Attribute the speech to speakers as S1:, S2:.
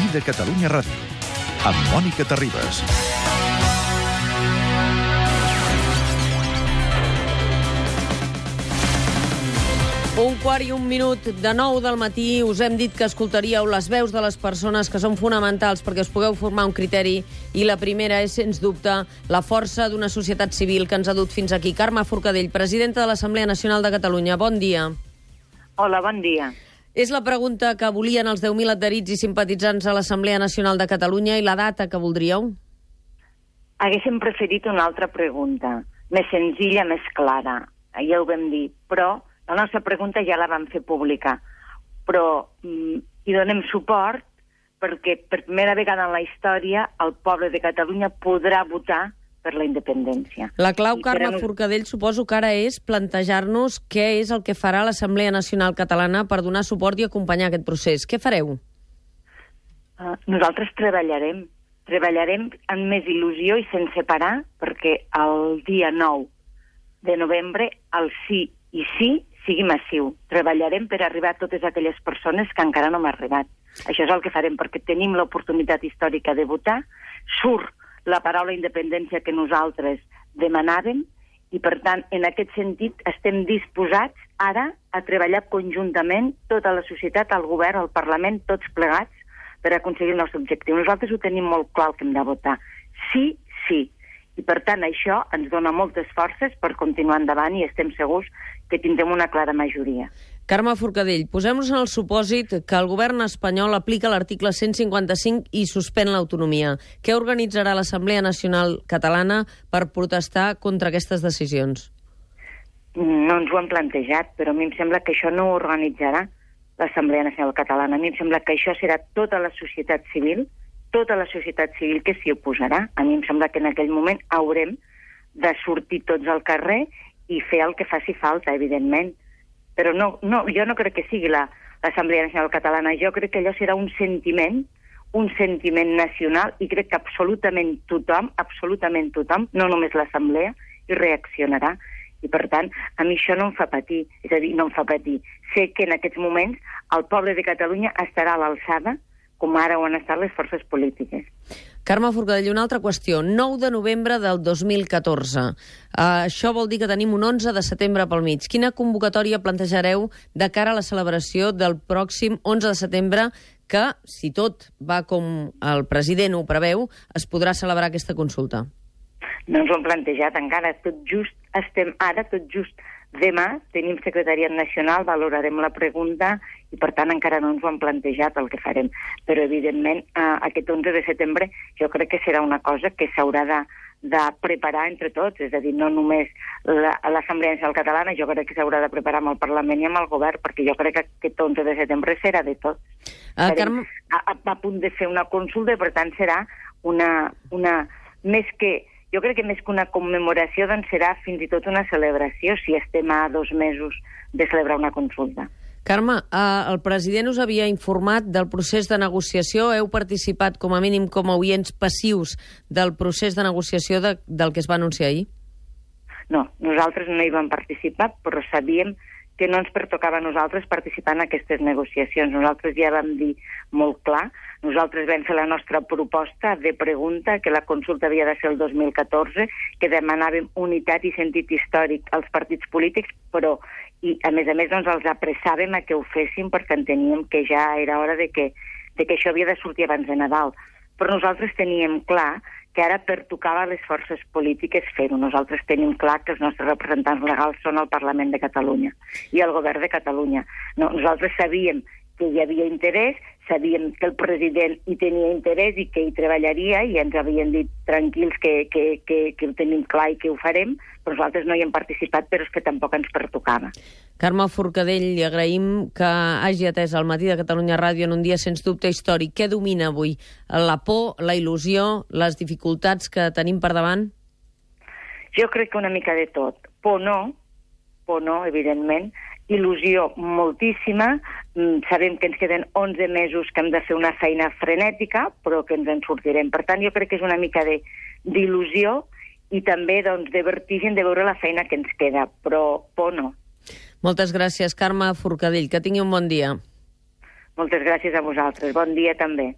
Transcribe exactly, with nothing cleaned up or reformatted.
S1: Matí de Catalunya Ràdio, amb Mònica Terribas.
S2: Un quart i un minut de nou del matí us hem dit que escoltaríeu les veus de les persones que són fonamentals perquè us pugueu formar un criteri, i la primera és, sens dubte, la força d'una societat civil que ens ha dut fins aquí. Carme Forcadell, presidenta de l'Assemblea Nacional de Catalunya. Bon dia.
S3: Hola, bon dia.
S2: És la pregunta que volien els deu mil adherits i simpatitzants a l'Assemblea Nacional de Catalunya i la data que voldríeu?
S3: Haguéssim preferit una altra pregunta, més senzilla, més clara. Ja ho vam dir, però la nostra pregunta ja la vam fer pública, però mm, hi donem suport perquè per primera vegada en la història el poble de Catalunya podrà votar per la independència.
S2: La clau,
S3: I
S2: Carme
S3: per...
S2: Forcadell, suposo que ara és plantejar-nos què és el que farà l'Assemblea Nacional Catalana per donar suport i acompanyar aquest procés. Què fareu?
S3: Uh, nosaltres treballarem. Treballarem amb més il·lusió i sense parar, perquè el dia nou de novembre el sí i sí sigui massiu. Treballarem per arribar a totes aquelles persones que encara no hem arribat. Això és el que farem, perquè tenim l'oportunitat històrica de votar, surt la paraula independència que nosaltres demanàvem, i per tant, en aquest sentit, estem disposats ara a treballar conjuntament tota la societat, el govern, el Parlament, tots plegats, per aconseguir el nostre objectiu. Nosaltres ho tenim molt clar que hem de votar. Sí, sí. I per tant això ens dona moltes forces per continuar endavant i estem segurs que tindrem una clara majoria.
S2: Carme Forcadell, posem-nos en el supòsit que el govern espanyol aplica l'article cent cinquanta-cinc i suspèn l'autonomia. Què organitzarà l'Assemblea Nacional Catalana per protestar contra aquestes decisions?
S3: No ens ho hem plantejat, però a mi em sembla que això no ho organitzarà l'Assemblea Nacional Catalana. A mi em sembla que això serà tota la societat civil, tota la societat civil que s'hi oposarà. A mi em sembla que en aquell moment haurem de sortir tots al carrer i fer el que faci falta, evidentment. Però no, no, jo no crec que sigui l'Assemblea Nacional Catalana. Jo crec que allò serà un sentiment, un sentiment nacional, i crec que absolutament tothom, absolutament tothom, no només l'Assemblea, hi reaccionarà. I per tant, a mi això no em fa patir, és a dir, no em fa patir. Sé que en aquests moments el poble de Catalunya estarà a l'alçada, com ara ho han estat les forces polítiques.
S2: Carme Forcadell, una altra qüestió. nou de novembre del dos mil catorze. Uh, això vol dir que tenim un onze de setembre pel mig. Quina convocatòria plantejareu de cara a la celebració del pròxim onze de setembre, que, si tot va com el president ho preveu, es podrà celebrar aquesta consulta?
S3: No ens ho hem plantejat encara. Tot just estem ara, tot just demà, tenim secretariat nacional, valorarem la pregunta i, per tant, encara no ens ho hem plantejat el que farem. Però, evidentment, eh, aquest onze de setembre jo crec que serà una cosa que s'haurà de, de preparar entre tots, és a dir, no només l'Assemblea Nacional Catalana, jo crec que s'haurà de preparar amb el Parlament i amb el Govern, perquè jo crec que aquest onze de setembre serà de tots.
S2: Uh, Carme...
S3: a, a, a punt de fer una consulta i, per tant, serà una... una més que... Jo crec que més que una commemoració, doncs serà fins i tot una celebració, si estem a dos mesos de celebrar una consulta.
S2: Carme, eh, el president us havia informat del procés de negociació. Heu participat, com a mínim, com a oients passius del procés de negociació de, del que es va anunciar ahir?
S3: No, nosaltres no hi vam participar, però sabíem que no ens pertocava a nosaltres participar en aquestes negociacions. Nosaltres ja vam dir molt clar, nosaltres vam fer la nostra proposta de pregunta, que la consulta havia de ser el dos mil catorze, que demanàvem unitat i sentit històric als partits polítics, però, i a més a més, doncs, els apressàvem a que ho fessin perquè enteníem que ja era hora de que, de que això havia de sortir abans de Nadal. Però nosaltres teníem clar que ara pertocava a les forces polítiques fer-ho. Nosaltres tenim clar que els nostres representants legals són el Parlament de Catalunya i el Govern de Catalunya. No, nosaltres sabíem que hi havia interès, sabíem que el president hi tenia interès i que hi treballaria, i ens havien dit tranquils que, que, que, que ho tenim clar i que ho farem, però nosaltres no hi hem participat, però és que tampoc ens pertocava.
S2: Carme Forcadell, li agraïm que hagi atès el Matí de Catalunya Ràdio en un dia sens dubte històric. Què domina avui? La por, la il·lusió, les dificultats que tenim per davant?
S3: Jo crec que una mica de tot. Por no, por no, evidentment. Il·lusió moltíssima. Sabem que ens queden onze mesos que hem de fer una feina frenètica, però que ens en sortirem. Per tant, jo crec que és una mica de d'il·lusió i també, doncs, de vertigen de veure la feina que ens queda, però por no.
S2: Moltes gràcies, Carme Forcadell. Que tingui un bon dia.
S3: Moltes gràcies a vosaltres. Bon dia també.